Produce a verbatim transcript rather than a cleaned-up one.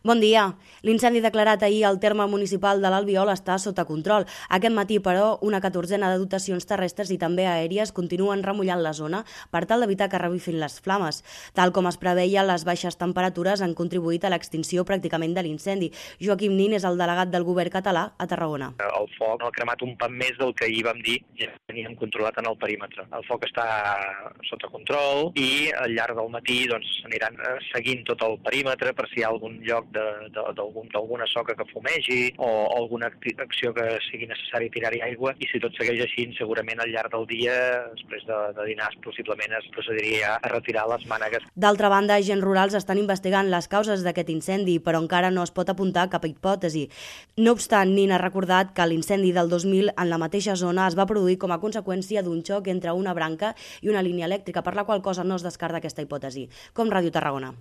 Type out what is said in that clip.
Bon dia. L'incendi declarat ahir al terme municipal de l'Albiol està sota control. Aquest matí, però, una catorzena de dotacions terrestres i també aèries continuen remullant la zona per tal d'evitar que revifin les flames. Tal com es preveia, les baixes temperatures han contribuït a l'extinció pràcticament de l'incendi. Joaquim Nin és el delegat del govern català a Tarragona. El foc ha cremat un pan més del que ahir vam dir ja teníem controlat en el perímetre. El foc està sota control i al llarg del matí doncs, aniran seguint tot el perímetre per si hi ha algun lloc d'alguna soca que fumegi o alguna acció que sigui necessari tirar-hi aigua, i si tot segueix així, segurament al llarg del dia, després de, de dinars, possiblement es procediria a retirar les mànegues. D'altra banda, agents rurals estan investigant les causes d'aquest incendi, però encara no es pot apuntar cap hipòtesi. No obstant, Nin ha recordat que l'incendi del dos mil en la mateixa zona es va produir com a conseqüència d'un xoc entre una branca i una línia elèctrica, per la qual cosa no es descarta aquesta hipòtesi. Com Ràdio Tarragona.